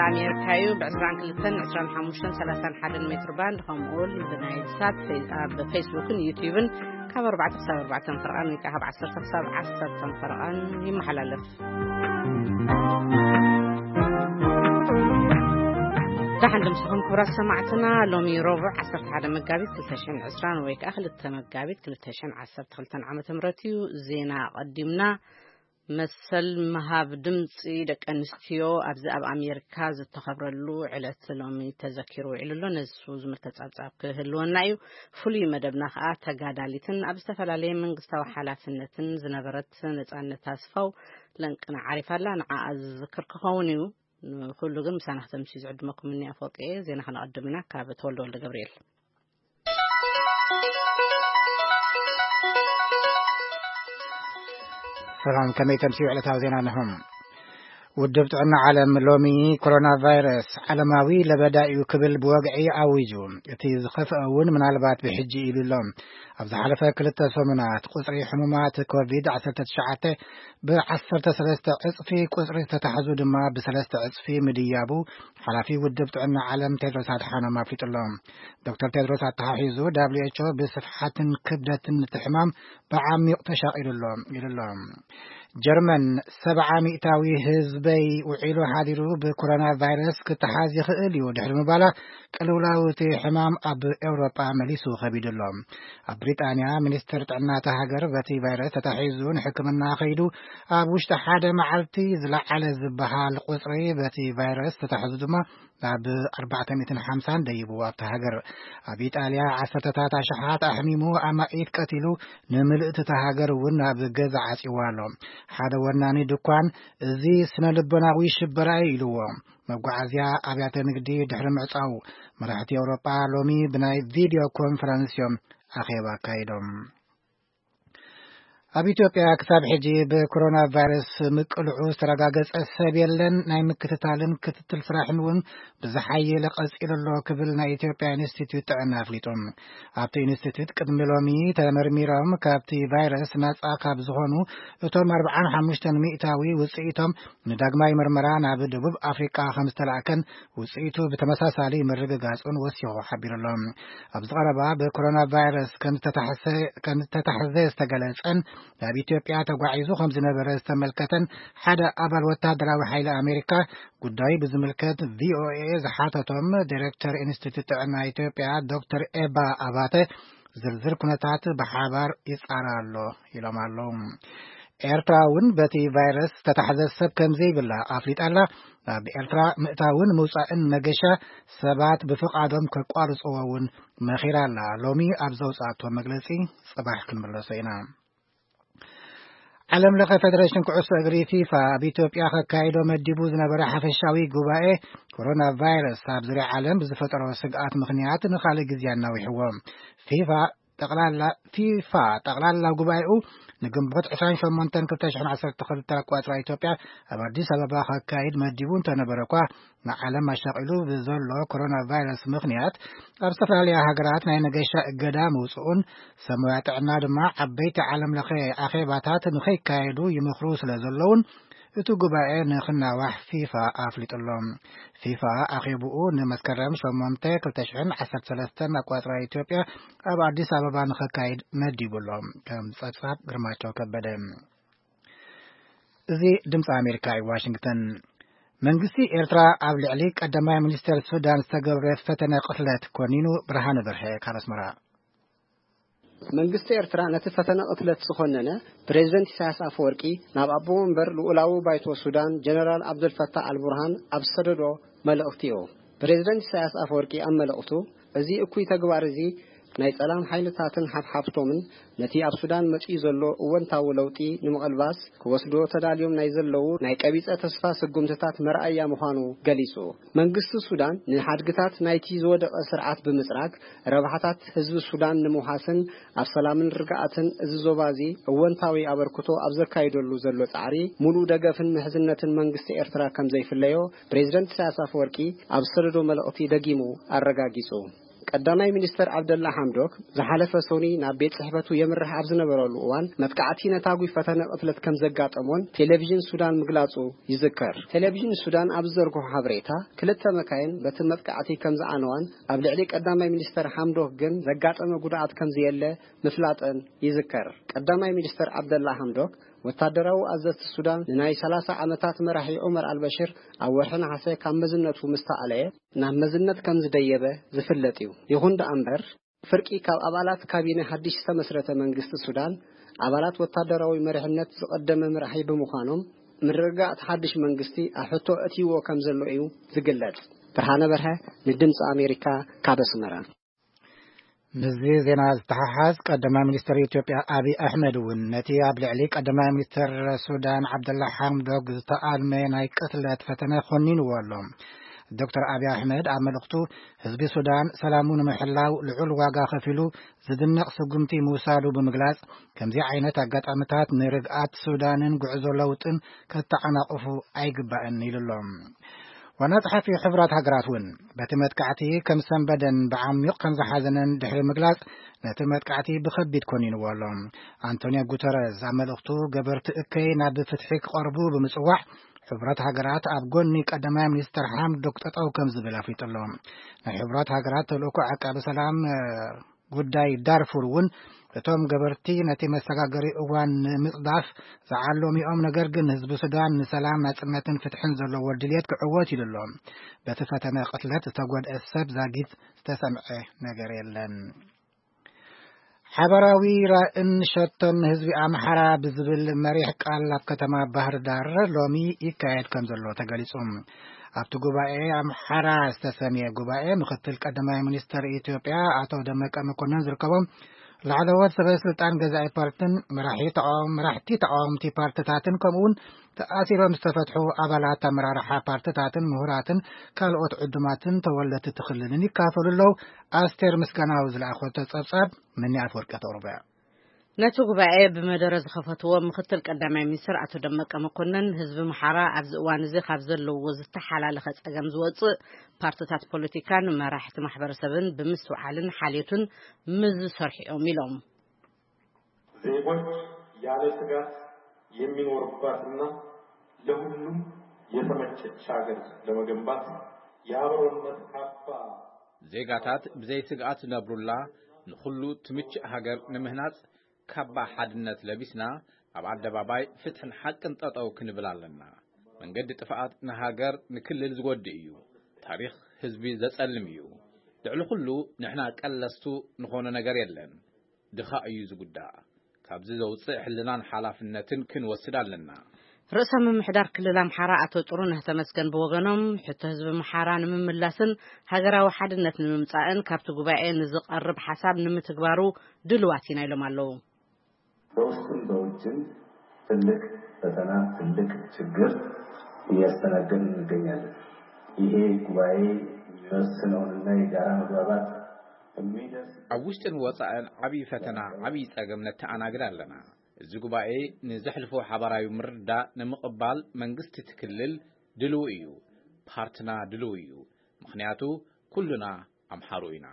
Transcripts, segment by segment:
ኣሜሪካ እዩ። ብ22፣ 25፣ 31 ሜትር ባንድ፣ ከምኡ እውን ብናይል ሳት፣ ኣብ ፌስቡክን ዩቲዩብን ካብ ኣርባዕተ ክሳብ ኣርባዕተ ፈርቓን ወይ ከዓ ካብ ዓሰርተ ክሳብ ዓሰርተ ፈርቓን ይመሓላለፍ። ደሓን ድምስኹም ክቡራት ሰማዕትና። ሎሚ ረቡዕ ዓሰርተ ሓደ መጋቢት ክልተ ሽሕን ዕስራን ወይ ከዓ ክልተ መጋቢት ክልተ ሽሕን ዓሰርተ ክልተን ዓመተ ምህረት እዩ። ዜና ኣቐዲምና። መሰል ምሃብ ድምፂ ደቂ ኣንስትዮ ኣብዚ ኣብ ኣሜሪካ ዝተኸብረሉ ዕለት ሎሚ ተዘኪሩ ውዒሉ ኣሎ። ነሱ ዝምልከት ጸብጻብ ክህልወና እዩ። ፍሉይ መደብና ከዓ ተጋዳሊትን ኣብ ዝተፈላለየ መንግስታዊ ሓላፍነትን ዝነበረት ነጻነት ኣስፋው ለንቅና ዓሪፋ ኣላ። ንዓኣ ዝዝክር ክኸውን እዩ። ንኹሉ ግን ምሳና ክተምሲ ዝዕድመኩም እኒ ኣፈወርቂ እየ። ዜና ከነቐድም ኢና ካብ ተወልደ ወልደ ገብርኤል። ሰላም፣ ከመይ ተምስዩ ዕለታዊ ዜና ንኹም። ውድብ ጥዕና ዓለም ሎሚ ኮሮና ቫይረስ ዓለማዊ ለበዳ እዩ ክብል ብወግዒ ኣዊጁ። እቲ ዝኸፍአ እውን ምናልባት ብሕጂ ኢሉ ኣሎ። ኣብ ዝሓለፈ ክልተ ሰሙናት ቁጽሪ ሕሙማት ኮቪድ ዓሰርተ ትሽዓተ ብ ዓሰርተ ሰለስተ ዕጽፊ፣ ቁጽሪ ዝተታሕዙ ድማ ብሰለስተ ዕጽፊ ምድያቡ ሓላፊ ውድብ ጥዕና ዓለም ቴድሮስ ኣድሓኖም ኣፍሊጡ ኣሎ። ዶክተር ቴድሮስ ኣተሓሒዙ፣ ደብሊው ኤች ኦ ብስፍሓትን ክብደትን እቲ ሕማም ብዓሚቕ ተሻቒሉ ኣሎ ኢሉ ኣሎ። ጀርመን፣ ሰብዓ ሚእታዊ ህዝበይ ውዒሉ ሓዲሩ ብኮሮና ቫይረስ ክተሓዝ ይኽእል እዩ ድሕሪ ምባላ፣ ቅልውላው እቲ ሕማም ኣብ ኤውሮጳ መሊሱ ከቢዱ ኣሎ። ኣብ ብሪጣንያ፣ ሚኒስትር ጥዕና እታ ሃገር በቲ ቫይረስ ተታሒዙ ንሕክምና ከይዱ፣ ኣብ ውሽጢ ሓደ መዓልቲ ዝለዓለ ዝበሃል ቁጽሪ በቲ ቫይረስ ተታሒዙ ድማ ናብ ኣርባዕተ ሚእትን ሓምሳን ደይቡ ኣብታ ሃገር። ኣብ ኢጣልያ ዓሰርተታት ኣሽሓት ኣሕሚሙ ኣማኢት ቀቲሉ፣ ንምልእቲ እታ ሃገር እውን ናብ ገዛ ዓጽይዋ ኣሎ። ሓደ ወናኒ ድኳን፣ "እዚ ስነ ልቦናዊ ሽበራ እዩ" ኢልዎ። መጓዓዝያ፣ ኣብያተ ንግዲ ድሕሪ ምዕጻው፣ መራሕቲ ኤውሮጳ ሎሚ ብናይ ቪድዮ ኮንፈረንስ እዮም ኣኼባ ኣካይዶም። ኣብ ኢትዮጵያ ክሳብ ሕጂ ብኮሮና ቫይረስ ምቅልዑ ዝተረጋገጸ ሰብ የለን። ናይ ምክትታልን ክትትል ስራሕን እውን ብዝሓየለ ቀጺሉ ኣሎ ክብል ናይ ኢትዮጵያ ኢንስቲትዩት ጥዕና ኣፍሊጡ። ኣብቲ ኢንስቲትዩት ቅድሚ ሎሚ ተመርሚሮም ካብቲ ቫይረስ ናጻ ካብ ዝኾኑ እቶም ኣርባዓን ሓሙሽተን ሚእታዊ ውጽኢቶም ንዳግማይ መርመራ ናብ ደቡብ ኣፍሪቃ ከም ዝተላእከን ውጽኢቱ ብተመሳሳሊ ምርግጋጹን ወሲኹ ሓቢሩ ኣሎ። ኣብዚ ቀረባ ብኮሮና ቫይረስ ከም ዝተታሕሰ-፣ ከም ዝተታሕዘ ዝተገለጸን ናብ ኢትዮጵያ ተጓዒዙ ከም ዝነበረ ዝተመልከተን ሓደ ኣባል ወታደራዊ ሓይሊ ኣሜሪካ ጉዳዩ ብዝምልከት ቪኦኤ ዝሓተቶም ዲሬክተር ኢንስቲትዩት ጥዕና ኢትዮጵያ ዶክተር ኤባ ኣባተ ዝርዝር ኩነታት ብሓባር ይጻረ ኣሎ ኢሎም ኣለዉ። ኤርትራ እውን በቲ ቫይረስ ዝተታሕዘ ሰብ ከም ዘይብላ ኣፍሊጣ ኣላ። ናብ ኤርትራ ምእታውን ምውጻእን መገሻ ሰባት ብፍቓዶም ከቋርጽዎ እውን መኺራ ኣላ። ሎሚ ኣብ ዘውጻእቶ መግለጺ፣ ጽባሕ ክንምለሶ ኢና። ዓለም ለኸ ፌደሬሽን ኩዕሶ እግሪ ፊፋ ኣብ ኢትዮጵያ ከካይዶ መዲቡ ዝነበረ ሓፈሻዊ ጉባኤ ኮሮና ቫይረስ ኣብ ዙርያ ዓለም ብዝፈጠሮ ስግኣት ምኽንያት ንኻልእ ግዜ ኣናዊሕዎ። ፊፋ ጠቕላላ፣ ፊፋ ጠቕላላ ጉባኤኡ ንግንቦት ዕስራን ሸሞንተን ክልተ ሽሕን ዓሰርተ ክልተ ኣቋጽራ ኢትዮጵያ ኣብ ኣዲስ ኣበባ ከካይድ መዲቡ እንተነበረ እኳ፣ ንዓለም ኣሻቒሉ ብዘሎ ኮሮና ቫይረስ ምኽንያት ኣብ ዝተፈላለያ ሃገራት ናይ መገሻ እገዳ ምውጽኡን ሰብ ሞያ ጥዕና ድማ ዓበይቲ ዓለም ለኸ ኣኼባታት ንኸይካየዱ ይመኽሩ ስለ ዘለውን እቲ ጉባኤ ንኽናዋሕ ፊፋ ኣፍሊጡ ኣሎ። ፊፋ ኣኼብኡ ንመስከረም ሸሞንተ ክልተ ሽሕን ዓሰርተ ሰለስተን ኣቋጽራ ኢትዮጵያ ኣብ ኣዲስ ኣበባ ንኸካይድ መዲቡ ኣሎ። ከም ጸብጻብ ግርማቸው ከበደ። እዚ ድምፂ ኣሜሪካ እዩ፣ ዋሽንግተን። መንግስቲ ኤርትራ ኣብ ልዕሊ ቀዳማይ ሚኒስተር ሱዳን ዝተገብረ ፈተነ ቅትለት ኮኒኑ። ብርሃነ በርሀ ካብ ኣስመራ። መንግስቲ ኤርትራ ነቲ ፈተነ ቅትለት ዝኾነነ ፕሬዝደንት ኢሳያስ ኣፈወርቂ ናብ ኣቦ ወንበር ልኡላዊ ባይቶ ሱዳን ጀነራል ኣብደልፈታህ ኣልቡርሃን ኣብ ዝሰደዶ መልእኽቲ እዩ። ፕሬዝደንት ኢሳያስ ኣፈወርቂ ኣብ መልእኽቱ፣ እዚ እኩይ ተግባር እዚ ናይ ጸላም ሓይልታትን ሓፍሓፍቶምን ነቲ ኣብ ሱዳን መጺኡ ዘሎ እወንታዊ ለውጢ ንምቕልባስ ክወስዶ ተዳልዮም ናይ ዘለዉ ናይ ቀቢጸ ተስፋ ስጉምትታት መርኣያ ምዃኑ ገሊጹ። መንግስቲ ሱዳን ንሓድግታት ናይቲ ዝወደቐ ስርዓት ብምጽራግ ረብሓታት ህዝቢ ሱዳን ንምውሓስን ኣብ ሰላምን ርግኣትን እዚ ዞባ እዚ እወንታዊ ኣበርክቶ ኣብ ዘካይደሉ ዘሎ ጻዕሪ፣ ሙሉእ ደገፍን ምሕዝነትን መንግስቲ ኤርትራ ከም ዘይፍለዮ ፕሬዝደንት ኢሳያስ ኣፈወርቂ ኣብ ዝሰደዶ መልእኽቲ ደጊሙ ኣረጋጊጹ። ቀዳማይ ሚኒስተር ዓብደላ ሓምዶክ ዝሓለፈ ሰኑይ ናብ ቤት ጽሕፈቱ የምርሕ ኣብ ዝነበረሉ እዋን፣ መጥቃዕቲ ነታጒ ፈተነ ቅትለት ከም ዘጋጠሞን ቴሌቪዥን ሱዳን ምግላጹ ይዝከር። ቴሌቪዥን ሱዳን ኣብ ዝዘርግሖ ሓበሬታ፣ ክልተ መካይን በቲ መጥቃዕቲ ከም ዝዓነዋን ኣብ ልዕሊ ቀዳማይ ሚኒስተር ሓምዶክ ግን ዘጋጠመ ጉድኣት ከም ዘየለ ምፍላጠን ይዝከር። ቀዳማይ ሚኒስተር ዓብደላ ሓምዶክ፣ ወታደራዊ ኣዘዝቲ ሱዳን ንናይ ሰላሳ ዓመታት መራሒ ዑመር ኣልበሽር ኣብ ወርሒ ነሓሰ ካብ መዝነቱ ምስ ተኣለየ፣ ናብ መዝነት ከም ዝደየበ ዝፍለጥ እዩ። ይኹን ደኣ እምበር፣ ፍርቂ ካብ ኣባላት ካቢነ ሓድሽ ዝተመስረተ መንግስቲ ሱዳን፣ ኣባላት ወታደራዊ መሪሕነት ዝቐደመ መራሒ ብምዃኖም፣ ምርግጋእ እቲ ሓድሽ መንግስቲ ኣብ ሕቶ ኣእትይዎ ከም ዘሎ እዩ ዝግለጽ። ብርሃነ በርሀ፣ ንድምፂ ኣሜሪካ፣ ካብ ኣስመራ። ምስዚ ዜና ዝተሓሓዝ፣ ቀዳማይ ሚኒስትር ኢትዮጵያ ኣብይ ኣሕመድ እውን ነቲ ኣብ ልዕሊ ቀዳማይ ሚኒስትር ሱዳን ዓብደላ ሓምዶክ ዝተኣልመ ናይ ቅትለት ፈተነ ኮኒንዎ ኣሎ። ዶክተር ኣብይ ኣሕመድ ኣብ መልእኽቱ፣ ህዝቢ ሱዳን ሰላሙ ንምሕላው ልዑል ዋጋ ከፊሉ ዝድነቕ ስጉምቲ ምውሳዱ ብምግላጽ፣ ከምዚ ዓይነት ኣጋጣሚታት ንርግኣት ሱዳንን ጉዕዞ ለውጥን ከተዓናቕፉ ኣይግባእን ኢሉ ኣሎ። ዋና ጸሓፊ ሕቡራት ሃገራት እውን በቲ መጥቃዕቲ ከም ሰንበደን ብዓሚቕ ከም ዝሓዘነን ድሕሪ ምግላጽ፣ ነቲ መጥቃዕቲ ብኸቢድ ኮኒንዎ ኣሎ። ኣንቶኒዮ ጉተረዝ ኣብ መልእኽቱ፣ ገበርቲ እከይ ናብ ፍትሒ ክቐርቡ ብምጽዋዕ፣ ሕቡራት ሃገራት ኣብ ጎኒ ቀዳማይ ሚኒስተር ሓምዶክ ጠጠው ከም ዝብል ኣፍሊጡ ኣሎ። ናይ ሕቡራት ሃገራት ተልእኮ ዓቃቢ ሰላም፣ እ፣ ጉዳይ ዳርፉር እውን፣ እቶም ገበርቲ ነቲ መሰጋገሪ እዋን ንምጽዳፍ ዝዓለሙ እዮም፣ ነገር ግን ህዝቢ ሱዳን ንሰላም፣ ናጽነትን ፍትሕን ዘለዎ ድልየት ክዕወት ኢሉ ኣሎ። በቲ ፈተነ ቅትለት ዝተጎድአ ሰብ ዛጊት ዝተሰምዐ ነገር የለን። ሓባራዊ ራእን ሸቶን ህዝቢ ኣምሓራ ብዝብል መሪሕ ቃል ኣብ ከተማ ባህር ዳር ሎሚ ይካየድ ከም ዘሎ ተገሊጹ። ኣብቲ ጉባኤ ኣምሓራ ዝተሰምየ ጉባኤ፣ ምክትል ቀዳማይ ሚኒስተር ኢትዮጵያ ኣቶ ደመቀ መኮንን ዝርከቦም ላዕለዎት ሰበ ስልጣን ገዛኢ ፓርትን መራሒ ተቃዋም-፣ መራሕቲ ተቃወምቲ ፓርትታትን፣ ከምኡ እውን ተኣሲሮም ዝተፈትሑ ኣባላት ኣመራርሓ ፓርትታትን ምሁራትን ካልኦት ዕዱማትን ተወለድቲ እቲ ክልልን ይካፈሉ ኣለዉ። ኣስቴር ምስጋናው ዝለኣኾቶ ጸብጻብ፣ መኒ ኣፈወርቂ ተቕርቦ እያ። ነቲ ጉባኤ ብመደረ ዝኸፈትዎ ምክትል ቀዳማይ ሚኒስትር ኣቶ ደመቀ መኮንን፣ ህዝቢ ምሓራ ኣብዚ እዋን እዚ ካብ ዘለዎ ዝተሓላለኸ ጸገም ዝወጽእ፣ ፓርትታት ፖለቲካን መራሕቲ ማሕበረሰብን ብምስትውዓልን ሓልዮትን ምስ ዝሰርሑ እዮም ኢሎም። ዜጎች ያለ ስጋት የሚኖሩባትና ለሁሉም የተመቸች ሀገር ለመገንባት የአብሮነት ካባ ዜጋታት ብዘይ ስግኣት ዝነብሩላ፣ ንኹሉ ትምችእ ሃገር ንምህናጽ፣ ካባ ሓድነት ለቢስና፣ ኣብ ኣደባባይ ፍትሕን ሓቅን ጠጠው ክንብል ኣለና። መንገዲ ጥፍኣት ንሃገር፣ ንክልል ዝጎድእ እዩ። ታሪኽ ህዝቢ ዘጸልም እዩ። ልዕሊ ኩሉ፣ ንሕና ቀለስቱ ንኾኖ ነገር የለን። ድኻ እዩ ዝጉዳእ። ካብዚ ዘውጽእ ሕልናን ሓላፍነትን ክንወስድ ኣለና። ርእሰ ምምሕዳር ክልል ኣምሓራ ኣቶ ጥሩነህ ተመስገን ብወገኖም፣ ሕቶ ህዝቢ ምሓራ ንምምላስን ሃገራዊ ሓድነት ንምምጻእን ካብቲ ጉባኤ ንዝቐርብ ሓሳብ ንምትግባሩ ድልዋት ኢና ኢሎም ኣለዉ። በውስጥም በውጭም ትልቅ ፈተና፣ ትልቅ ችግር እያስተናገድን እንገኛለን። ይሄ ጉባኤ የሚወስነውንና የጋራ መግባባት የሚደርስ ኣብ ውሽጥን ወጻእን ዓብዪ ፈተና፣ ዓብዪ ጸገም ነተኣናግድ ኣለና። እዚ ጉባኤ ንዘሕልፎ ሓባራዊ ምርዳእ ንምቕባል መንግስቲ እቲ ክልል ድልው እዩ። ፓርትና ድልው እዩ። ምኽንያቱ ኩሉና ኣምሓሩ ኢና።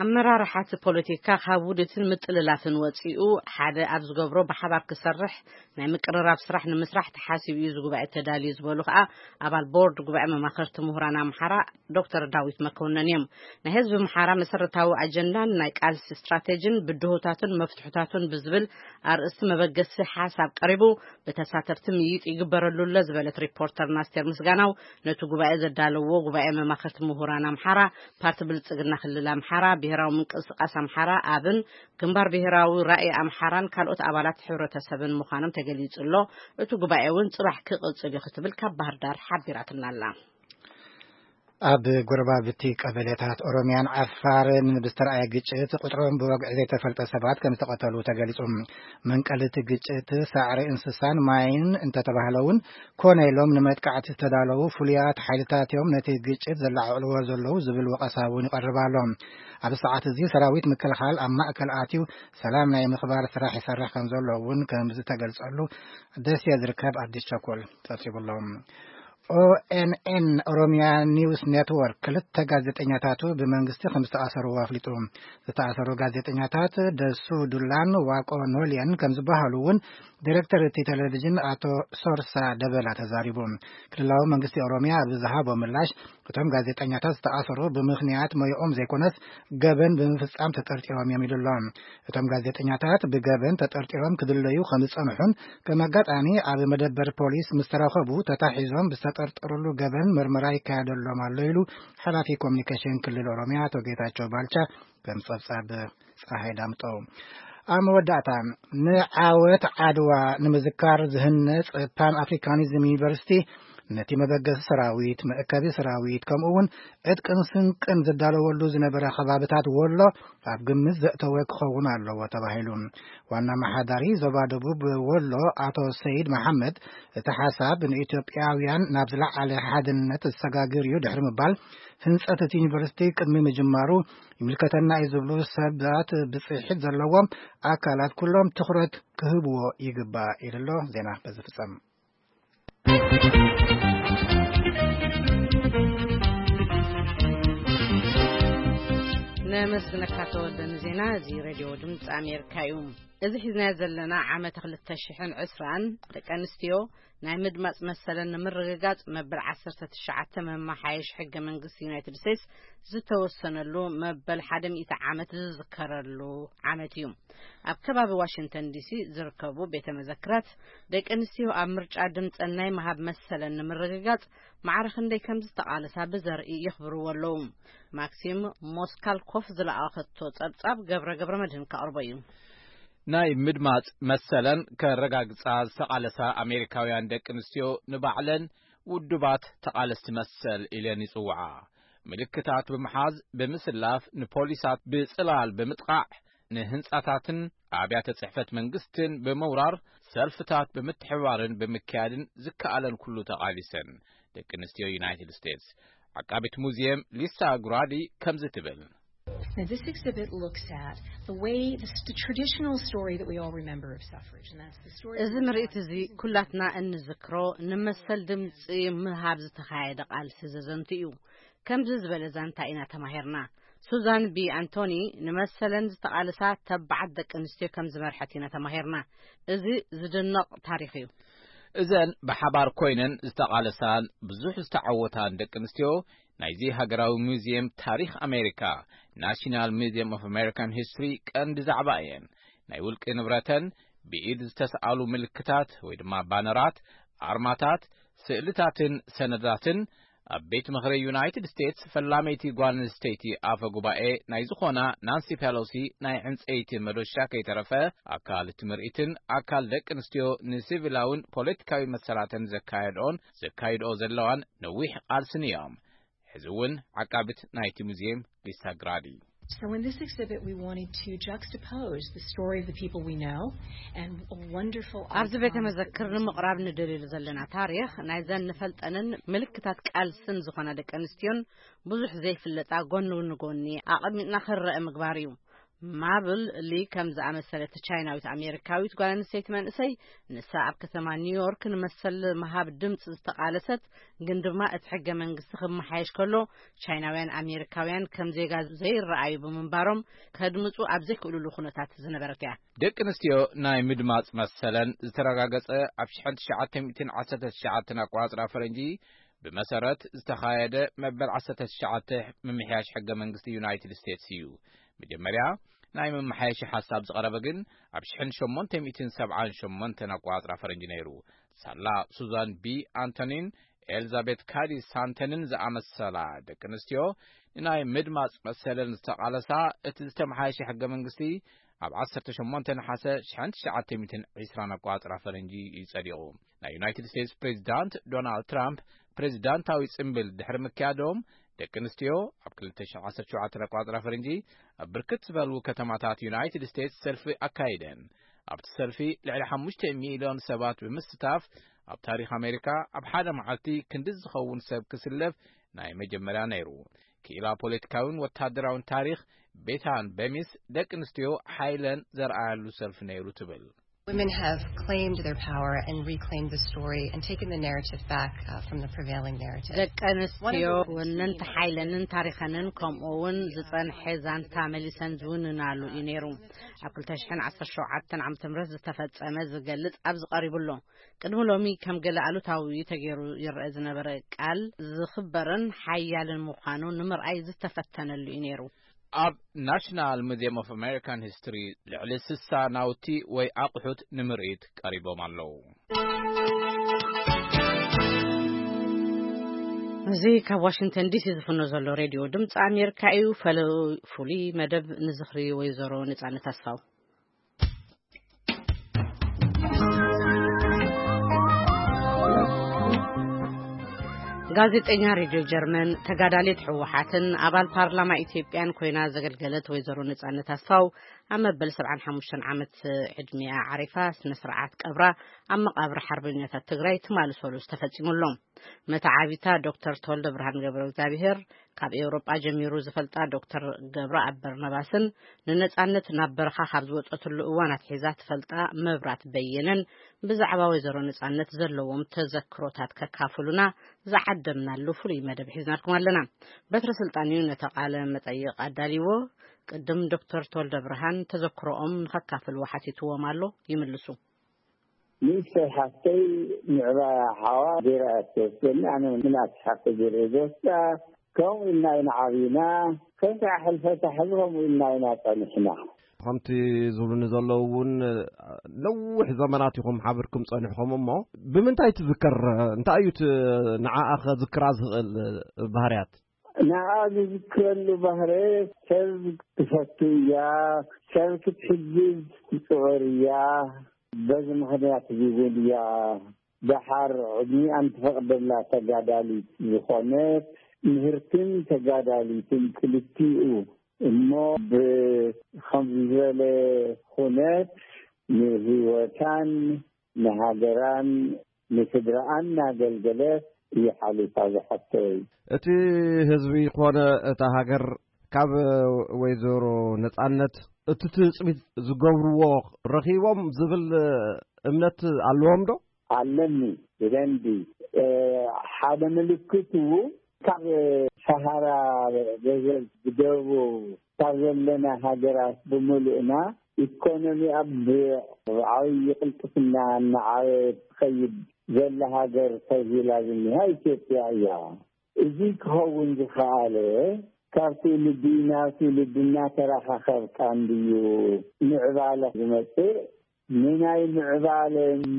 ኣመራርሓ እቲ ፖለቲካ ካብ ውዲትን ምጥልላፍን ወጺኡ፣ ሓደ ኣብ ዝገብሮ ብሓባር ክሰርሕ ናይ ምቅርራብ ስራሕ ንምስራሕ ተሓሲቡ እዩ እዚ ጉባኤ ተዳልዩ ዝበሉ ከኣ ኣባል ቦርድ ጉባኤ መማኸርቲ ምሁራን ኣምሓራ ዶክተር ዳዊት መኮነን እዮም። ናይ ህዝቢ ምሓራ መሰረታዊ ኣጀንዳን ናይ ቃልሲ ስትራቴጂን ብድሆታቱን መፍትሑታቱን ብዝብል ኣርእስቲ መበገሲ ሓሳብ ቀሪቡ፣ ብተሳተፍቲ ምይይጥ ይግበረሉ ኣሎ ዝበለት ሪፖርተርና ኣስቴር ምስጋናው፣ ነቲ ጉባኤ ዘዳለዎ ጉባኤ መማኸርቲ ምሁራን ኣምሓራ፣ ፓርቲ ብልጽግና ክልል ኣምሓራ፣ ብሄራዊ ምንቅስቃስ ኣምሓራ፣ ኣብን፣ ግንባር ብሄራዊ ራእይ ኣምሓራን ካልኦት ኣባላት ሕብረተሰብን ምዃኖም ተገሊጹ ኣሎ። እቲ ጉባኤ እውን ጽባሕ ክቕጽል እዩ ክትብል ካብ ባህር ዳር ሓቢራትና ኣላ። ኣብ ጎረባብቲ ቀበሌታት ኦሮሚያን ዓፋርን ብዝተረኣየ ግጭት ቁጥሮም ብወግዒ ዘይተፈልጠ ሰባት ከም ዝተቐተሉ ተገሊጹ። መንቀሊ እቲ ግጭት ሳዕሪ እንስሳን ማይን እንተተባህለ እውን፣ ኮነ ኢሎም ንመጥቃዕቲ ዝተዳለዉ ፍሉያት ሓይልታት እዮም ነቲ ግጭት ዘለዓዕልዎ ዘለዉ ዝብል ወቐሳ እውን ይቐርብ ኣሎ። ኣብ ሰዓት እዚ ሰራዊት ምክልኻል ኣብ ማእከል ኣትዩ ሰላም ናይ ምኽባር ስራሕ ይሰርሕ ከም ዘሎ እውን ከም ዝተገልጸሉ ደሴ ዝርከብ ኣዲስ ቸኮል ጸብጺቡ ኣሎ። ኦኤንኤን ኦሮሚያ ኒውስ ኔትወርክ ክልተ ጋዜጠኛታቱ ብመንግስቲ ከም ዝተኣሰሩ ኣፍሊጡ። ዝተኣሰሩ ጋዜጠኛታት ደሱ ዱላን ዋቆ ኖልየን ከም ዝበሃሉ እውን ዲሬክተር እቲ ቴሌቪዥን ኣቶ ሶርሳ ደበላ ተዛሪቡ። ክልላዊ መንግስቲ ኦሮሚያ ኣብ ዝሃቦ ምላሽ፣ እቶም ጋዜጠኛታት ዝተኣሰሩ ብምኽንያት ሞይኦም ዘይኮነስ ገበን ብምፍጻም ተጠርጢሮም እዮም ኢሉ ኣሎ። እቶም ጋዜጠኛታት ብገበን ተጠርጢሮም ክድለዩ ከም ዝጸንሑን ከም ኣጋጣሚ ኣብ መደበር ፖሊስ ምስ ተረኸቡ ተታሒዞም ብዝተጠርጠሩሉ ገበን ምርመራ ይካየደሎም ኣሎ ኢሉ ሓላፊ ኮሚኒኬሽን ክልል ኦሮሚያ ኣቶ ጌታቸው ባልቻ ከም ጸብጻብ ፀሓይ ዳምጠው። ኣብ መወዳእታ፣ ንዓወት ዓድዋ ንምዝካር ዝህነጽ ፓን ኣፍሪካኒዝም ዩኒቨርሲቲ ነቲ መበገሲ ሰራዊት፣ መእከቢ ሰራዊት፣ ከምኡ እውን ዕጥቅን ስንቅን ዝዳለወሉ ዝነበረ ከባብታት ወሎ ኣብ ግምት ዘእተወ ክኸውን ኣለዎ ተባሂሉ። ዋና መሓዳሪ ዞባ ደቡብ ወሎ ኣቶ ሰይድ መሓመድ፣ እቲ ሓሳብ ንኢትዮጵያውያን ናብ ዝለዓለ ሓድነት ዘሰጋግር እዩ ድሕሪ ምባል፣ ህንጸት እቲ ዩኒቨርሲቲ ቅድሚ ምጅማሩ ይምልከተና እዩ ዝብሉ ሰባት ብጽሒት ዘለዎም ኣካላት ኩሎም ትኹረት ክህብዎ ይግባእ ኢሉ ኣሎ። ዜና በዚ ፍጸም። ነመስግነካ ተወልደ ንዜና። እዚ ሬድዮ ድምፂ ኣሜሪካ እዩ። እዚ ሒዝናዮ ዘለና ዓመት ክልተ ሽሕን ዕስራን ደቂ ኣንስትዮ ናይ ምድማፅ መሰለን ንምርግጋፅ መበል ዓሰርተ ትሽዓተ መመሓየሽ ሕገ መንግስቲ ዩናይትድ ስቴትስ ዝተወሰነሉ መበል ሓደ ሚእቲ ዓመት ዝዝከረሉ ዓመት እዩ። ኣብ ከባቢ ዋሽንግተን ዲሲ ዝርከቡ ቤተ መዘክራት ደቂ ኣንስትዮ ኣብ ምርጫ ድምፀን ናይ ምሃብ መሰለን ንምርግጋፅ ማዕረ ክንደይ ከም ዝተቓለሳ ብዘርኢ የኽብርዎ ኣለዉ። ማክሲም ሞስካልኮፍ ዝለኣኸቶ ጸብጻብ ገብረ ገብረ መድህን ከቕርቦ እዩ። ናይ ምድማጽ መሰለን ከረጋግጻ ዝተቓለሳ ኣሜሪካውያን ደቂ ኣንስትዮ ንባዕለን ውዱባት ተቓለስቲ መሰል ኢለን ይጽውዓ። ምልክታት ብምሓዝ፣ ብምስላፍ፣ ንፖሊሳት ብጽላል ብምጥቓዕ፣ ንህንጻታትን ኣብያተ ጽሕፈት መንግስትን ብምውራር፣ ሰልፍታት ብምትሕብባርን ብምክያድን ዝከኣለን ኩሉ ተቓሊሰን። ደቂ ኣንስትዮ ዩናይትድ ስቴትስ። ዓቃቢት ሙዚየም ሊሳ ግራዲ ከምዚ ትብል። Now, this exhibit looks at the way, the, the traditional story that we all remember of suffrage, and that's the story እዚ of ምርኢት እዚ ኩላትና እንዝክሮ ንመሰል ድምፂ ምሃብ ዝተኻየደ ቃልሲ ዘዘንቱ እዩ። ከምዚ ዝበለ ዛንታ ኢና ተማሂርና። ሱዛን ቢ ኣንቶኒ ንመሰለን ዝተቓለሳ ተባዓት ደቂ ኣንስትዮ ከም ዝመርሐት ኢና ተማሂርና። እዚ ዝድነቕ ታሪኽ እዩ። እዘን ብሓባር ኮይነን ዝተቓለሳን ብዙሕ ዝተዓወታን ደቂ ኣንስትዮ ናይዚ ሃገራዊ ሙዚየም ታሪኽ ኣሜሪካ፣ ናሽናል ሙዚየም ኦፍ ኣሜሪካን ሂስትሪ፣ ቀንዲ ዛዕባ እየን። ናይ ውልቂ ንብረተን፣ ብኢድ ዝተሰኣሉ ምልክታት ወይ ድማ ባነራት፣ ኣርማታት፣ ስእልታትን ሰነዳትን፣ ኣብ ቤት ምኽሪ ዩናይትድ ስቴትስ ፈላመይቲ ጓል ኣንስተይቲ ኣፈ ጉባኤ ናይ ዝኾና ናንሲ ፔሎሲ ናይ ዕንፀይቲ መዶሻ ከይተረፈ፣ ኣካል እቲ ምርኢትን ኣካል ደቂ ኣንስትዮ ንሲቪላውን ፖለቲካዊ መሰላተን ዘካየድኦን ዘካይድኦ ዘለዋን ነዊሕ ቃልስን እዮም። ሕዚ እውን ዓቃቢት ናይቲ ሙዚየም ሊሳ ግራዲ። So in this exhibit, we wanted to juxtapose the story of the people we know and a wonderful ኣብዚ ቤተ iconic መዘክር ንምቕራብ ንደልየሉ ዘለና ታሪኽ ናይዘን ንፈልጠንን ምልክታት ቃልስን ዝኾና ደቂ ኣንስትዮን ብዙሕ ዘይፍለጣ ጎኒ ንጎኒ ኣቐሚጥና ክረአ ምግባር እዩ። ማብል ሊ ከም ዝኣመሰለት ቻይናዊት ኣሜሪካዊት ጓል ኣንስተይቲ መንእሰይ፣ ንሳ ኣብ ከተማ ኒውዮርክ ንመሰል ምሃብ ድምፂ ዝተቓለሰት፣ ግን ድማ እቲ ሕገ መንግስቲ ክመሓየሽ ከሎ ቻይናውያን ኣሜሪካውያን ከም ዜጋ ዘይረኣዩ ብምንባሮም ከድምፁ ኣብ ዘይክእሉሉ ኩነታት ዝነበረት እያ። ደቂ ኣንስትዮ ናይ ምድማፅ መሰለን ዝተረጋገፀ ኣብ ሽሕን ትሽዓተ ሚእትን ዓሰርተ ትሽዓተን ኣቆፃፅራ ፈረንጂ ብመሰረት ዝተኻየደ መበል ዓሰርተ ትሽዓተ ምምሕያሽ ሕገ መንግስቲ ዩናይትድ ስቴትስ እዩ። መጀመርያ ናይ መመሓየሺ ሓሳብ ዝቐረበ ግን ኣብ ሽሕን ሸሞንተ ሚእትን ሰብዓን ሸሞንተን ኣቆፃፅራ ፈረንጂ ነይሩ። ሳላ ሱዛን ቢ ኣንቶኒን ኤልዛቤት ካዲ ሳንተንን ዝኣመሰላ ደቂ ኣንስትዮ ንናይ ምድማፅ መሰለን ዝተቓለሳ፣ እቲ ዝተመሓየሸ ሕገ መንግስቲ ኣብ ዓሰርተ ሸሞንተ ነሓሰ ሽሕን ትሽዓተ ሚእትን ዕስራን ኣቆፃፅራ ፈረንጂ እዩ ጸዲቑ። ናይ ዩናይትድ ስቴትስ ፕሬዚዳንት ዶናልድ ትራምፕ ፕሬዚዳንታዊ ጽምብል ድሕሪ ምክያዶም፣ ደቂ ኣንስትዮ ኣብ ክልተ ሽሕን ዓሰርተ ሸውዓተን ኣቆጻጽራ ፈረንጂ ኣብ ብርክት ዝበሉ ከተማታት ዩናይትድ ስቴትስ ሰልፊ ኣካይደን። ኣብቲ ሰልፊ ልዕሊ ሓሙሽተ ሚልዮን ሰባት ብምስታፍ፣ ኣብ ታሪኽ ኣሜሪካ ኣብ ሓደ መዓልቲ ክንዲ ዝኸውን ሰብ ክስለፍ ናይ መጀመርያ ነይሩ። ክኢላ ፖለቲካዊን ወታደራዊን ታሪኽ ቤታን በሚስ፣ ደቂ ኣንስትዮ ሓይለን ዘርኣያሉ ሰልፊ ነይሩ ትብል። Women have claimed their power and reclaimed the story and taken the narrative back uh, from the prevailing narrative. ደቂ ኣንስትዮ ወነንቲ ሓይለንን ታሪኸንን ከምኡ እውን ዝጸንሐ ዛንታ መሊሰን ዝውንናሉ እዩ ነይሩ። ኣብ ክልተ ሽሕን ዓሰርተ ሸውዓተን ዓመተ ምህረት ዝተፈጸመ ዝገልጽ ኣብዚ ቀሪቡ ኣሎ። ቅድሚ ሎሚ ከም ገለ ኣሉታዊ ተገይሩ ይረአ ዝነበረ ቃል ዝኽበርን ሓያልን ምዃኑ ንምርኣይ ዝተፈተነሉ እዩ ነይሩ። ኣብ National Museum of American History ልዕሊ ስሳ ናውቲ ወይ ኣቑሑት ንምርኢት ቀሪቦም ኣለዉ። እዚ ካብ ዋሽንግተን ዲሲ ዝፍኖ ዘሎ ሬድዮ ድምፂ ኣሜሪካ እዩ። ፈለዉ ፍሉይ መደብ ንዝኽሪ ወይዘሮ ነፃነት ኣስፋው። ጋዜጠኛ ሬድዮ ጀርመን፣ ተጋዳሊት ህወሓትን ኣባል ፓርላማ ኢትዮጵያን ኮይና ዘገልገለት ወይዘሮ ነፃነት ኣስፋው ኣብ መበል ሰብዓን ሓሙሽተን ዓመት ዕድሚኣ ዓሪፋ። ስነ ስርዓት ቀብራ ኣብ መቓብር ሓርበኛታት ትግራይ ትማሊ ሰሉስ ተፈፂሙ ኣሎ። መተዓቢታ ዶክተር ተወልደ ብርሃን ገብረ እግዚኣብሔር ካብ ኤውሮጳ ጀሚሩ ዝፈልጣ ዶክተር ገብረኣብ በርናባስን ንነጻነት ናብ በረኻ ካብ ዝወጸትሉ እዋን ኣትሒዛ ትፈልጣ መብራት በየነን ብዛዕባ ወይዘሮ ነጻነት ዘለዎም ተዘክሮታት ከካፍሉና ዝዓደምናሉ ፍሉይ መደብ ሒዝናልኩም ኣለና። በትረ ስልጣን እዩ ነቲ ቃለ መጠይቕ ኣዳልይዎ። ቅድም ዶክተር ተወልደ ብርሃን ተዘክሮኦም ንኸካፍልዎ ሓቲትዎም ኣሎ። ይምልሱ። ንእሽተይ ሓፍተይ ምዕባያ ሓዋ ገይራ እያ ትወስደኒ። ኣነ ምልኣት ሓፍተ ገይረ እየ ዝወስዳ። ከምኡ ኢልና ኢና ዓብና። ከሳሕ ሕልፈታ ሕዚ ከምኡ ኢልና ኢና ጸኒሕና። ከምቲ ዝብሉኒ ዘለዉ እውን ነዊሕ ዘመናት ኢኹም ሓቢርኩም ጸኒሕኹም። እሞ ብምንታይ ትዝከር? እንታይ እዩ እቲ ንዓኣ ከዝክራ ዝኽእል ባህርያት? ንዓ ዝዝክረሉ ባህረ ሰብ ትፈቱ እያ፣ ሰብ ክትሕግዝ ትፅዕር እያ። በዚ ምኽንያት እዚ እውን እያ ደሓር ዕድሚኣን ትፈቕደላ ተጋዳሊት ዝኾነት ምህርትን ተጋዳሊትን ክልቲኡ እሞ ብኸምዚ ዝበለ ኩነት ንህይወታን ንሃገራን ንስድራኣን እናገልገለት እዩ ሓሊፋ ዝሓፍተይ። እቲ ህዝቢ ኮነ እታ ሃገር ካብ ወይዘሮ ነጻነት እቲ ትጽቢት ዝገብርዎ ረኺቦም ዝብል እምነት ኣለዎም ዶ? ኣለኒ ብደንቢ ሓደ ምልክቱ ካብ ሰሃራ ገዘል ብደቡብ ካብ ዘለና ሃገራት ብምሉእና ኢኮኖሚኣ ብዓብዪ ቅልጥፍና እናዓበየት ትኸይድ ዘላ ሃገር ተብሂላ ዝኒሃ ኢትዮጵያ እያ። እዚ ክኸውን ዝኸኣለ ካብ ትውልዲ ናብ ትውልዲ እናተረኻኸብካ እንድዩ ምዕባለ ዝመፅእ። ንናይ ምዕባለ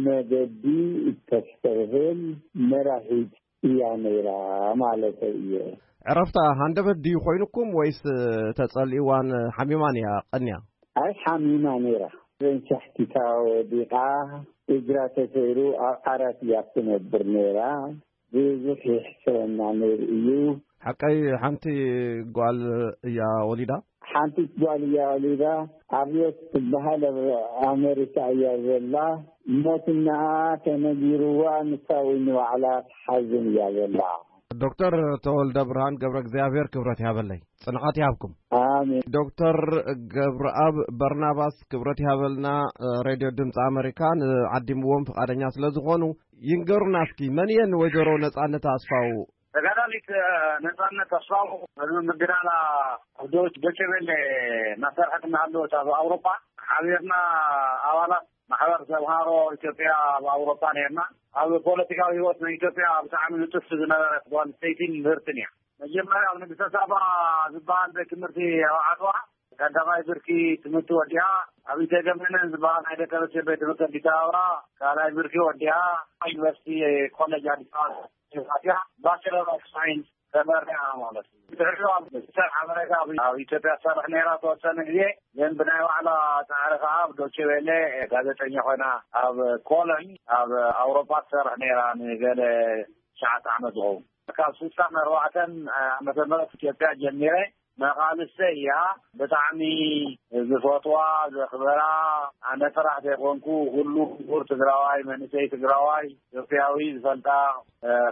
መገዲ እተስተብህል መራሒት እያ ነይራ ማለተይ እየ። ዕረፍታ ሃንደበት ድዩ ኮይኑኩም ወይስ ተጸሊእዋን ሓሚማን እያ ቀንያ? ኣይ ሓሚማ ነይራ። ዘንሻሕቲታ ወዲቓ እግራ ተሰይሩ ኣብ ዓራት እያ ትነብር ነይራ። ብዙሕ ይሕስረና ነይሩ እዩ። ሓቀይ ሓንቲ ጓል እያ ወሊዳ። ሓንቲ ጓል እያ ወሊዳ። ኣብዮት ትበሃል ኣብ ኣሜሪካ እያ ዘላ። ሞትና ተነጊርዋ ንሳ እውን ንባዕላ ትሓዝን እያ ዘላ። ዶክተር ተወልደ ብርሃን ገብረ እግዚኣብሔር ክብረት ይሃበለይ፣ ጽንዓት ይሃብኩም። ኣሜን። ዶክተር ገብረኣብ በርናባስ ክብረት ይሃበልና። ሬድዮ ድምፂ ኣመሪካ ንዓዲምዎም ፍቓደኛ ስለ ዝኾኑ ይንገሩና እስኪ፣ መን እየን ወይዘሮ ነፃነት ኣስፋው? ተጋዳሊት ነፃነት ኣስፋው ቅድሚ ምግዳላ ኣብ ዶች ዶቸቤለ እናሰርሐት እናሃለወት ኣብ ኣውሮፓ ሓቢርና ኣባላት ማሕበር ተምሃሮ ኢትዮጵያ ኣብ ኣውሮፓ ነርና። ኣብ ፖለቲካዊ ህይወት ናይ ኢትዮጵያ ብጣዕሚ ንጥፍቲ ዝነበረት ጓል ኣንስተይቲን ምህርትን እያ። መጀመርያ ኣብ ንግስተ ሳባ ዝበሃል ቤት ትምህርቲ ኣብ ዓድዋ ቀዳማይ ብርኪ ትምህርቲ ወዲኣ፣ ኣብ ኢተገመነን ዝበሃል ናይ ደቂ ኣንስትዮ ቤት ትምህርቲ ኣዲስ ኣበባ ካልኣይ ብርኪ ወዲኣ፣ ዩኒቨርሲቲ ኮሌጅ ኣዲስ ኣበባ ዩኒቨርሲቲ ባቸለር ኦፍ ሳይንስ ተመሪዓ ማለት እዩ። ድሕሪኡ ኣብ ሚኒስተር ሓበሬታ ኣብ ኢትዮጵያ ትሰርሕ ነይራ ተወሰነ ግዜ፣ ግን ብናይ ባዕላ ፃዕሪ ከዓ ኣብ ዶቼ ቬለ ጋዜጠኛ ኮይና ኣብ ኮሎኝ ኣብ ኣውሮፓ ትሰርሕ ነይራ ንገለ ትሽዓተ ዓመት ዝኸውን። ካብ ስሳን ኣርባዕተን ዓመተ ምህረት ኢትዮጵያ ጀሚረ መቓልሰይ እያ። ብጣዕሚ ዝፈትዋ፣ ዘኽበራ፣ ኣነ ጥራሕ ዘይኮንኩ ኩሉ ምሁር ትግራዋይ፣ መንእሰይ ትግራዋይ፣ ኢትዮጵያዊ ዝፈልጣ፣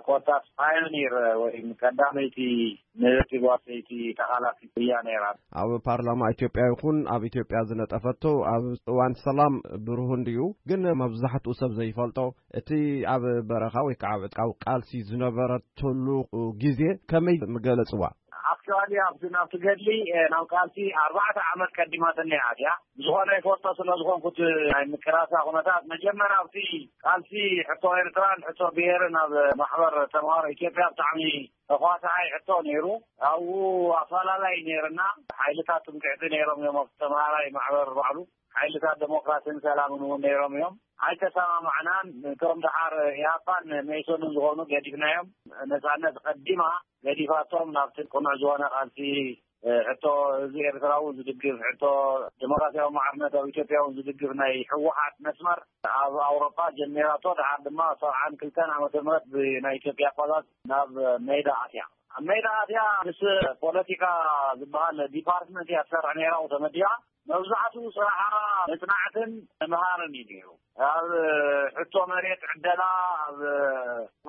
ኮታስ ፓዮኒር ወይ ቀዳመይቲ ንህብቲ ጓል ሰይቲ ተቓላሲት እያ ነይራ። ኣብ ፓርላማ ኢትዮጵያ ይኹን ኣብ ኢትዮጵያ ዝነጠፈቶ፣ ኣብ እዋን ሰላም ብሩህ እንድዩ፣ ግን መብዛሕትኡ ሰብ ዘይፈልጦ እቲ ኣብ በረኻ ወይ ከዓ ኣብ ዕጥቃዊ ቃልሲ ዝነበረትሉ ግዜ ከመይ ምገለጽዋ? ኣክቹዋሊ ኣብቲ ናብቲ ገድሊ ናብ ቃልሲ ኣርባዕተ ዓመት ቀዲማትኒ እያ። ብዝኾነ ይፈልጦ ስለ ዝኾንኩት ናይ ምቅላሳ ኩነታት፣ መጀመርያ ኣብቲ ቃልሲ ሕቶ ኤርትራን ሕቶ ብሄርን ኣብ ማሕበር ተምሃሮ ኢትዮጵያ ብጣዕሚ ተኳሳዓይ ሕቶ ነይሩ። ኣብኡ ኣፈላላይ ነይርና። ሓይልታት ትምክሕቲ ነይሮም እዮም ኣብቲ ተምሃራይ ማሕበር ባዕሉ። ሓይልታት ደሞክራሲን ሰላምን እውን ነይሮም እዮም። ኣይተሰማማዕናን። እቶም ደሓር ኢህኣፓን መኢሶንን ዝኾኑ ገዲፍናዮም። ነጻነት ቀዲማ ገዲፋቶም ናብቲ ቅኑዕ ዝኾነ ቃልሲ ሕቶ ህዝቢ ኤርትራ እውን ዝድግፍ፣ ሕቶ ዴሞክራሲያዊ ማዕርነት ኣብ ኢትዮጵያ እውን ዝድግፍ ናይ ህወሓት መስመር ኣብ ኣውሮፓ ጀሚራቶ። ደሓር ድማ ሰብዓን ክልተን ዓመተ ምህረት ብናይ ኢትዮጵያ ኣቆጻጽራ ናብ ሜዳ ኣትያ። ኣብ ሜዳ ኣትያ ምስ ፖለቲካ ዝበሃል ዲፓርትመንት እያ ትሰርሕ ነይራ፣ ተመዲባ። መብዛሕትኡ ስራሓ መጽናዕትን ምምሃርን እዩ ነይሩ። ኣብ ሕቶ መሬት ዕደላ፣ ኣብ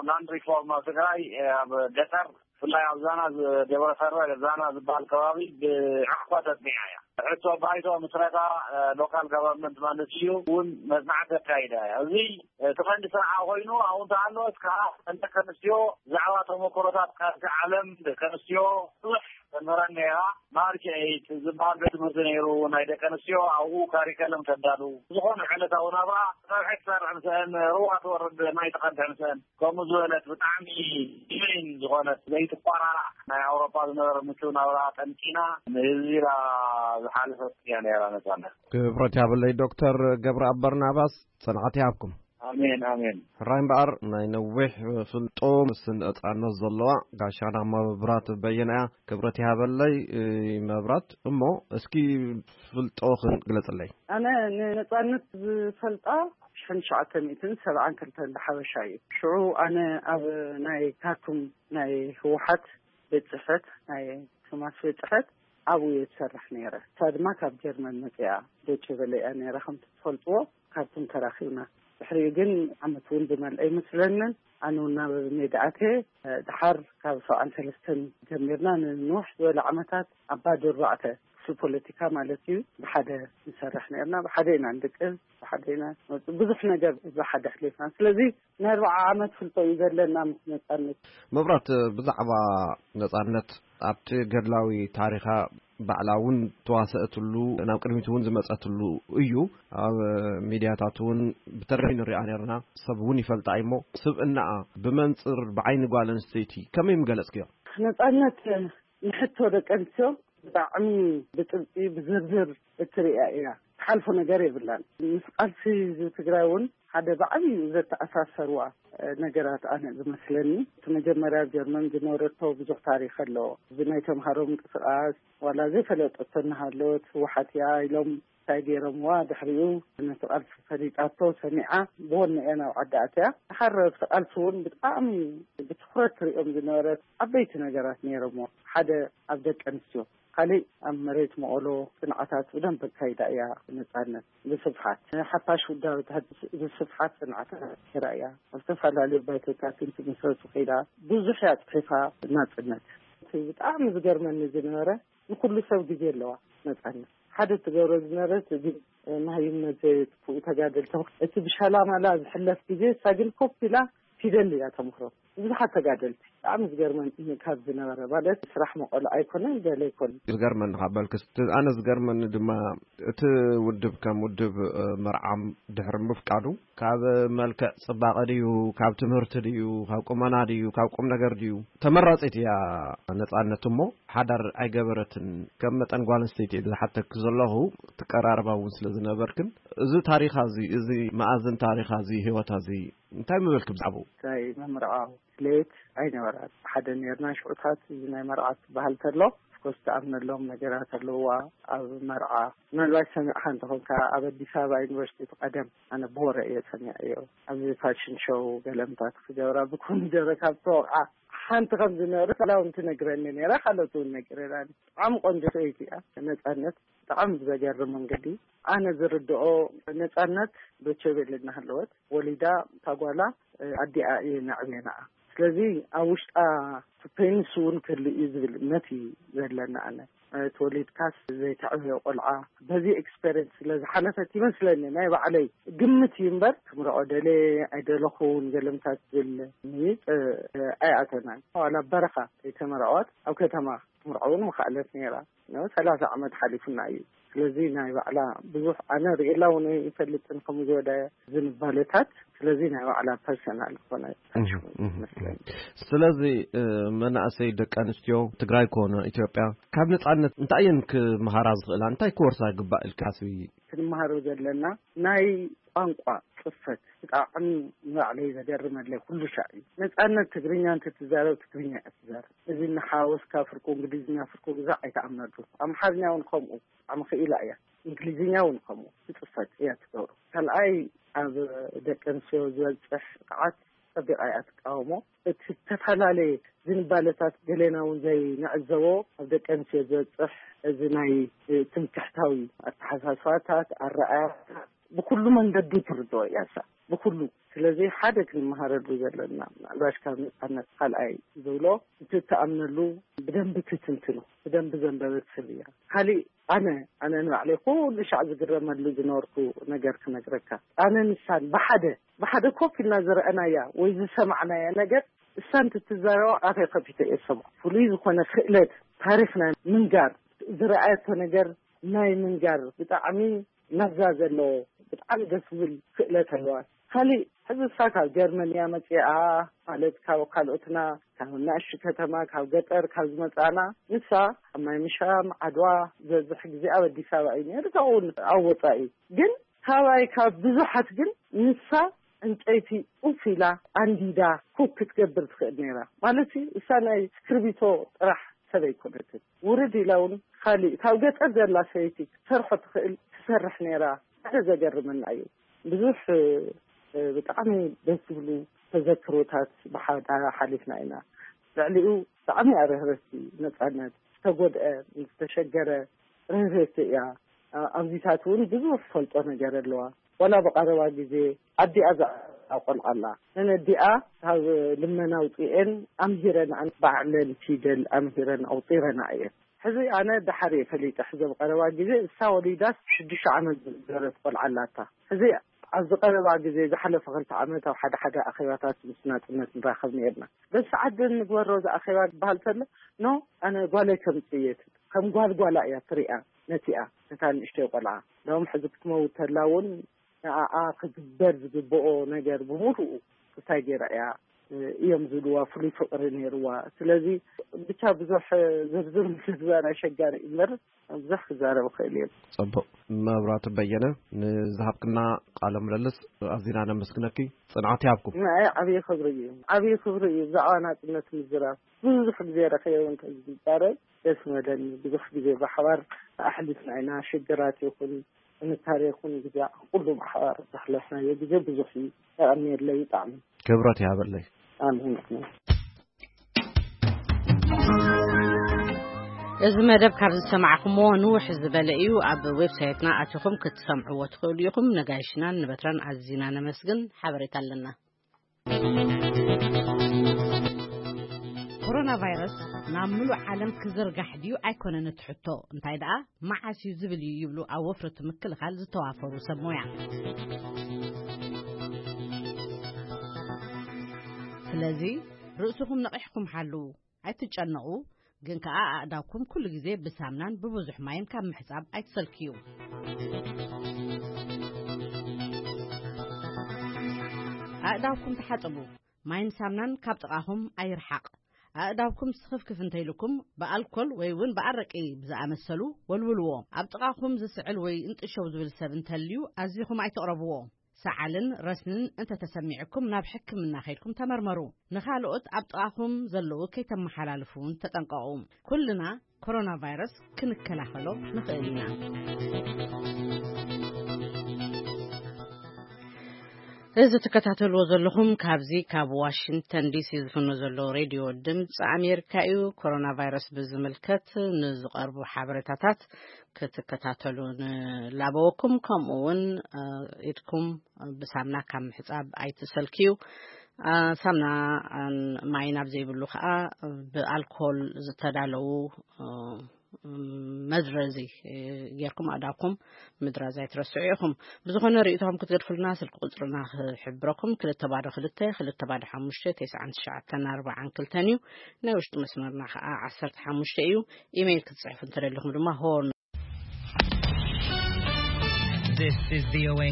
ላንድ ሪፎርም ኣብ ትግራይ፣ ኣብ ገጠር፣ ብፍላይ ኣብ ዛና ዝ-፣ ደብረ ከርበ ዛና ዝበሃል ከባቢ ብዕቕባ ተጽኒዓ እያ። ሕቶ ባይቶ ምስረታ፣ እ፣ ሎካል ጋቨርንመንት ማለት እዩ፣ እውን መጽናዕቲ ኣካይዳ እያ። እዚ፣ እ፣ እቲ ቀንዲ ስራሓ ኮይኑ፣ ኣብኡ እንተሃለወት ከዓ ደቂ ኣንስትዮ ብዛዕባ ተመክሮታት ካልሲ ዓለም ደቂ ኣንስትዮ ብዙሕ ተምህረን ነይራ። ማርች ኤይት ዝበሃል ቤት ትምህርቲ ነይሩ ናይ ደቂ ኣንስትዮ፣ ኣብኡ ካሪከለም ተዳሉ። ዝኾነ ዕለታዊ ናብራ፣ ፀብሒ ትሰርሕ ምስአን፣ ሩባ ትወርድ፣ ማይ ትቐድሕ ምስአን፣ ከምኡ ዝበለት ብጣዕሚ ሂዩሜን ዝኾነት ዘይትቋራራዕ ናይ ኣውሮፓ ዝነበረ ምቹው ናብራ ጠንቂና ንህዝቢ ኢላ ዝሓለፈት እያ ነይራ ነፃነት። ክብረት ያብለይ ዶክተር ገብረኣብ በርናባስ፣ ጽንዓት ይሃብኩም። ኣሜን፣ ኣሜን። ሕራይ እምበኣር ናይ ነዊሕ ፍልጦ ምስ ነጻነት ዘለዋ ጋሻና መብራት በየነ እያ። ክብረት ይሃበለይ፣ እ፣ መብራት። እሞ እስኪ ፍልጦኽን ግለጽለይ። ኣነ ንነጻነት ዝፈልጣ ሽሕን ትሽዓተ ሚእትን ሰብዓን ክልተን ብሓበሻ እዩ። ሽዑ ኣነ ኣብ ናይ ካርቱም ናይ ህወሓት ቤት ጽሕፈት፣ ናይ ቶማስ ቤት ጽሕፈት ኣብኡ እየ ዝሰርሕ ነይረ። እሳ ድማ ካብ ጀርመን መጺኣ ዶቼ ቬለ እያ ነይራ፣ ከምቲ ትፈልጥዎ። ካርቱም ተራኺብና። ድሕሪኡ ግን ዓመት እውን ዝመልአ ኣይመስለንን። ኣነ እውን ናብ ሜዳ ኣትየ። ደሓር ካብ ሰብዓን ሰለስተን ጀሚርና ንንውሕ ዝበለ ዓመታት ኣብ ባዶ ኣርባዕተ፣ ክፍሊ ፖለቲካ ማለት እዩ፣ ብሓደ ንሰርሕ ነርና። ብሓደ ኢና ንድቅስ፣ ብሓደ ኢና ንወጽእ። ብዙሕ ነገር ብሓደ ኣሕሊፍና። ስለዚ ናይ ኣርብዓ ዓመት ፍልጦ እዩ ዘለና ምስ ነጻነት። መብራት፣ ብዛዕባ ነጻነት ኣብቲ ገድላዊ ታሪኻ ባዕላ እውን ተዋሰእትሉ፣ ናብ ቅድሚት እውን ዝመጸትሉ እዩ። ኣብ ሚድያታት እውን ብተደጋጋሚ ንሪኣ ነርና። ሰብ እውን ይፈልጣ እሞ፣ ስብእናኣ ብመንጽር ብዓይኒ ጓል ኣንስተይቲ ከመይ ምገለጽክዮ? ነጻነት ንሕቶ ደቂ ኣንስትዮ ብጣዕሚ ብጥብቂ ብዝርዝር እትርእያ እያ። ትሓልፎ ነገር የብላን። ምስ ቃልሲ ህዝቢ ትግራይ እውን ሓደ ብዓብዩ ዘተኣሳሰርዋ፣ እ፣ ነገራት ኣነ ዝመስለኒ፣ እቲ መጀመርያ ኣብ ጀርመን ዝነበረቶ ብዙሕ ታሪኽ ኣለዎ። እዚ ናይ ተምሃሮ ምንቅስቃስ ዋላ ዘይፈለጠቶ እናሃለወት ህወሓት እያ ኢሎም እንታይ ገይሮምዋ፣ ድሕሪኡ ነቲ ቃልሲ ፈሊጣቶ ሰሚዓ ብወነ እያ ናብ ዓዲ ኣትያ። ድሓር ኣብቲ ቃልሲ እውን ብጣዕሚ ብትኹረት ትሪኦም ዝነበረት ዓበይቲ ነገራት ነይሮምዎ። ሓደ ኣብ ደቂ ኣንስትዮ፣ ካሊእ ኣብ መሬት መቐሎ ጽንዓታት ብደንብ ኣካይዳ እያ ነጻነት። ብስፍሓት ሓፋሽ ውዳበታት ብስፍሓት ጽንዓታት ነይራ እያ። ኣብ ዝተፈላለዩ ባይቶታት እንትምስረቱ ከይዳ ብዙሕ እያ ጽሒፋ ናጽነት። እቲ ብጣዕሚ ዝገርመኒ ዝነበረ፣ ንኹሉ ሰብ ግዜ ኣለዋ ነጻነት። ሓደ ትገብሮ ዝነበረት ግን መሃይምነት ዘየጥፍኡ ተጋደልቲ፣ እቲ ብሻላማላ ዝሕለፍ ግዜ እሳ ግን ኮፍ ኢላ ፊደል እያ ተምክሮ። ብዙሓት ተጋደልቲ ብጣዕሚ ዝገርመን ካብ ዝነበረ ማለት ስራሕ መቐሎ ኣይኮነን ገለ ኣይኮነን። ዝገርመኒ ካብ በልክስ፣ ኣነ ዝገርመኒ ድማ እቲ ውድብ ከም ውድብ፣ እ፣ መርዓም ድሕሪ ምፍቃዱ ካብ መልክዕ ጽባቐ ድዩ፣ ካብ ትምህርቲ ድዩ፣ ካብ ቁመና ድዩ፣ ካብ ቁም ነገር ድዩ? ተመራጺት እያ ነጻነት እሞ ሓዳር ኣይገበረትን። ከም መጠን ጓል ኣንስተይቲ ዝሓተኪ ዘለኹ ትቀራረባ እውን ስለ ዝነበርክን፣ እዚ ታሪኻ እዚ፣ እዚ መኣዝን ታሪኻ እዚ፣ ህይወታ እዚ እንታይ ምበልኪ ብዛዕባኡ? እንታይ መምርዖ ድሌት ኣይነበራን። ሓደ ነርና ሽዑታት እዚ ናይ መርዓ ትበሃል ተሎ ኮስ ትኣምነሎም ነገራት ኣለዋ። ኣብ መርዓ ምናልባት ሰሚዕካ እንተኾንካ፣ ኣብ ኣዲስ ኣበባ ዩኒቨርሲቲ እቲ ቀደም፣ ኣነ ብወረ እየ ሰሚዐዮ፣ ኣብዚ ፋሽን ሾው ገለምታት ክገብራ ብኮሚደረ ካብ ተወቕዓ ሓንቲ ከም ዝነበረት ላውን ትነግረኒ ነይራ። ካልኦት እውን ነጊረናኒ። ብጣዕሚ ቆንጆ ሰበይቲ እያ። ነፃነት ብጣዕሚ ብዘገርም መንገዲ፣ ኣነ ዝርድኦ፣ ነፃነት ዶቼ ቬለ እናሃለወት ወሊዳ፣ እታ ጓላ ኣዲኣ እየ ነዕብየናኣ። ስለዚ ኣብ ውሽጣ ፔንስ እውን ክህሉ እዩ ዝብል እምነት እዩ ዘለና። ኣነ ተወሊድካስ ዘይተዕብዮ ቆልዓ በዚ ኤክስፔሪንስ ስለ ዝሓለፈት ይመስለኒ፣ ናይ ባዕለይ ግምት እዩ እምበር፣ ክምርዖ ደለ ኣይደለኹን ገለምታት ዝብል ምይጥ ኣይኣተናን። ዋላ በረኻ ከይተመርዐወት ኣብ ከተማ ክትምርዖ እውን ምኽኣለት ነይራ። ሰላሳ ዓመት ሓሊፉና እዩ። ስለዚ ናይ ባዕላ ብዙሕ ኣነ ርእየላ እውን ኣይፈልጥን ከምኡ ዝበለ ዝንባለታት። ስለዚ ናይ ባዕላ ፐርሰናል ዝኾነ ታች እህ፣ እህ። ይመስለኒ። ስለዚ እ፣ መናእሰይ ደቂ ኣንስትዮ ትግራይ ኮነ ኢትዮጵያ ካብ ነፃነት እንታይ እየን ክመሃራ ዝኽእላ? እንታይ ክወርሳ ይግባእ ኢልካ ትሓስቢ? ክንመሃሮ ዘለና ናይ ቋንቋ ጽፈት ብጣዕሚ ንባዕለይ ዘገርመለይ ኩሉ ሻዕ እዩ። ነፃነት ትግርኛ እንተትዛረብ ትግርኛ እያ ትዛረብ። እዚ እናሓወስካ ፍርቁ እንግሊዝኛ ፍርቁ ግዛዕ ኣይተኣምነሉ። ኣምሓርኛ እውን ከምኡ ብጣዕሚ ክኢላ እያ። እንግሊዝኛ እውን ከምኡ ትፅፈት እያ ትገብሮ። ካልኣይ ኣብ ደቂ ኣንስትዮ ዝበፅሕ ጥቕዓት ፀቢቓ እያ ትቃወሞ። እቲ ዝተፈላለየ ዝንባለታት ገሌና እውን ዘይንዕዘቦ ኣብ ደቂ ኣንስትዮ ዝበፅሕ እዚ ናይ ትምክሕታዊ ኣተሓሳስባታት ኣረኣያ ብኩሉ መንገዱ ትርድኦ እያ እሳ ብኩሉ። ስለዚ ሓደ ክንመሃረሉ ዘለና ምናልባሽ ካብ ነፃነት ካልኣይ ዝብሎ እቲ እትኣምነሉ ብደንቢ ትትንትኑ ብደንቢ ዘንበበት ሰብ እያ። ካሊእ ኣነ ኣነ ንባዕለይ ኩሉ ሻዕ ዝግረመሉ ዝነበርኩ ነገር ክነግረካ። ኣነ ንሳን ብሓደ ብሓደ ኮፍ ኢልና ዝረኣናያ ወይ ዝሰማዕናያ ነገር እሳን ትትዛረባ ኣፈይ ከፊተ እየ ዝሰምዖ። ፍሉይ ዝኾነ ክእለት ታሪኽና ምንጋር ዝረኣየቶ ነገር ናይ ምንጋር ብጣዕሚ መዛ ዘለዎ ብጣዕሚ ደስ ዝብል ክእለት ኣለዋ። ካሊእ ሕዚ እሳ ካብ ጀርመን እያ መፂኣ ማለት ካብ ካልኦትና ካብ ናእሽቱ ከተማ ካብ ገጠር ካብ ዝመፃና ንሳ ኣብ ማይ ምሻም ዓድዋ ዝበዝሕ ግዜ ኣብ ኣዲስ ኣበባ እዩ ነይሩ ካብኡ እውን ኣብ ወፃኢ ግን ካባይ ካብ ብዙሓት ግን ንሳ ዕንጨይቲ ኡፍ ኢላ ኣንዲዳ ኩክ ክትገብር ትኽእል ነይራ ማለት እዩ። እሳ ናይ እስክርቢቶ ጥራሕ ሰብ ኣይኮነትን። ውርድ ኢላ እውን ካሊእ ካብ ገጠር ዘላ ሰበይቲ ክትሰርሖ ትኽእል ትሰርሕ ነይራ። ሓደ ዘገርመና እዩ። ብዙሕ እ፣ ብጣዕሚ ደስ ዝብሉ ተዘክሮታት ብሓዳ ሓሊፍና ኢና። ልዕሊኡ ብጣዕሚ እያ ርህርህቲ ነፃነት ዝተጎድአ ዝተሸገረ ርህርህቲ እያ። ኣብዚታት እውን ብዙሕ ፈልጦ ነገር ኣለዋ። ዋላ ብቐረባ ግዜ ኣዲኣ ዘዕቆልዓላ ነን ኣዲኣ ካብ ልመና ኣውፅኤን ኣምሂረን ባዕለን ፊደል ኣምሂረን ኣውፂረና እየን። ሕዚ ኣነ ደሓር እየ ፈሊጠ ሕዚ ብቐረባ ግዜ እሳ ወሊዳስ ሽዱሽተ ዓመት ዝገረት ቆልዓ ኣላታ። ሕዚ ኣብዚ ቀረባ ግዜ ዝሓለፈ ክልተ ዓመት ኣብ ሓደ ሓደ ኣኼባታት ምስ ናፅነት ንራኸብ ነርና። በዚ ሰዓት ግን ንግበሮ ዝኣኼባ ዝበሃል ተሎ ኖ ኣነ ጓለይ ከምፅእ እየ ትብል። ከም ጓል ጓላ እያ ትሪኣ ነቲኣ ነታ ንእሽተይ ቆልዓ። ሎም ሕዚ ክትመውት ተላ እውን ንኣኣ ክግበር ዝግብኦ ነገር ብምሉኡ እንታይ ገይራ እያ እዮም ዝብልዋ ፍሉይ ፍቕሪ ነይርዋ። ስለዚ ብቻ ብዙሕ ዝርዝር ምዝዛር ኣሸጋሪ እዩ እምበር ብዙሕ ክዛረብ እኽእል እየ። ፅቡቕ። መብራቱ በየነ ንዝሃብክና ቃለ ምልልስ ኣዚና ነመስግነኪ። ፅንዓት ይሃብኩም። ንዓይ ዓብዪ ክብሪ እዩ። ዓብዪ ክብሪ እዩ ብዛዕባ ናፅነት ምዝራብ። ብዙሕ ግዜ ረኺበ እንተ ዝዛረብ ደስ መለኒ። ብዙሕ ግዜ ብሓባር ኣሕሊፍና ኢና። ሽግራት ይኹን ጥንካሬ ይኹን ግዜ ኩሉ ብሓባር ዘሕለፍናዮ ግዜ ብዙሕ እዩ። የቐንየለይ ብጣዕሚ። ክብረት ይሃበለይ። ኣሜን። እዚ መደብ ካብ ዝሰማዕኹምዎ ንውሕ ዝበለ እዩ። ኣብ ዌብሳይትና ኣቲኹም ክትሰምዕዎ ትኽእሉ ኢኹም። ነጋይሽናን ንበትራን ኣዚና ነመስግን። ሓበሬታ ኣለና። ኮሮና ቫይረስ ናብ ምሉእ ዓለም ክዝርጋሕ ድዩ ኣይኮነን እቲ ሕቶ፣ እንታይ ደኣ መዓስ እዩ ዝብል እዩ ይብሉ ኣብ ወፍሪ እቲ ምክልኻል ዝተዋፈሩ ሰብ ሞያ። ስለዚ ርእስኹም ነቒሕኩም ሓልዉ። ኣይትጨነቑ፣ ግን ከኣ ኣእዳውኩም ኩሉ ግዜ ብሳምናን ብብዙሕ ማይን ካብ ምሕጻብ ኣይትሰልክዩ። ኣእዳውኩም ተሓጸቡ። ማይን ሳምናን ካብ ጥቓኹም ኣይርሓቕ። ኣእዳውኩም ስኽፍክፍ እንተይልኩም ብኣልኮል ወይ እውን ብኣረቂ ብዝኣመሰሉ ወልውልዎ። ኣብ ጥቓኹም ዝስዕል ወይ እንጥሸው ዝብል ሰብ እንተልዩ ኣዚኹም ኣይትቕረብዎ። ሰዓልን ረስንን እንተተሰሚዕኩም ናብ ሕክምና ከይድኩም ተመርመሩ። ንኻልኦት ኣብ ጥቓኹም ዘለዉ ከይተመሓላልፉ እውን ተጠንቀቑ። ኩልና ኮሮና ቫይረስ ክንከላኸሎ ንኽእል ኢና። እዚ ትከታተልዎ ዘለኹም ካብዚ ካብ ዋሽንግተን ዲሲ ዝፍኖ ዘሎ ሬድዮ ድምፂ ኣሜሪካ እዩ። ኮሮና ቫይረስ ብዝምልከት ንዝቐርቡ ሓበሬታታት ክትከታተሉ ንላበወኩም። ከምኡ እውን ኢድኩም ብሳምና ካብ ምሕፃብ ኣይትሰልክዩ። ሳምና ማይ ናብ ዘይብሉ ከዓ ብኣልኮል ዝተዳለዉ መዝረዚ ጌርኩም ኣዳብኩም ምድራዝ ኣይትረስዑ ኢኹም። ብዝኾነ ርእይቶኹም ክትገድፉልና ስልኪ ቁፅርና ክሕብረኩም፣ ክልተ ባዶ ክልተ ክልተ ባዶ ሓሙሽተ ተስዓን ትሽዓተን ኣርባዓን ክልተን እዩ። ናይ ውሽጢ መስመርና ከዓ ዓሰርተ ሓሙሽተ እዩ። ኢሜይል ክትፅሕፉ እንተደሊኹም ድማ ሆርን This is V O A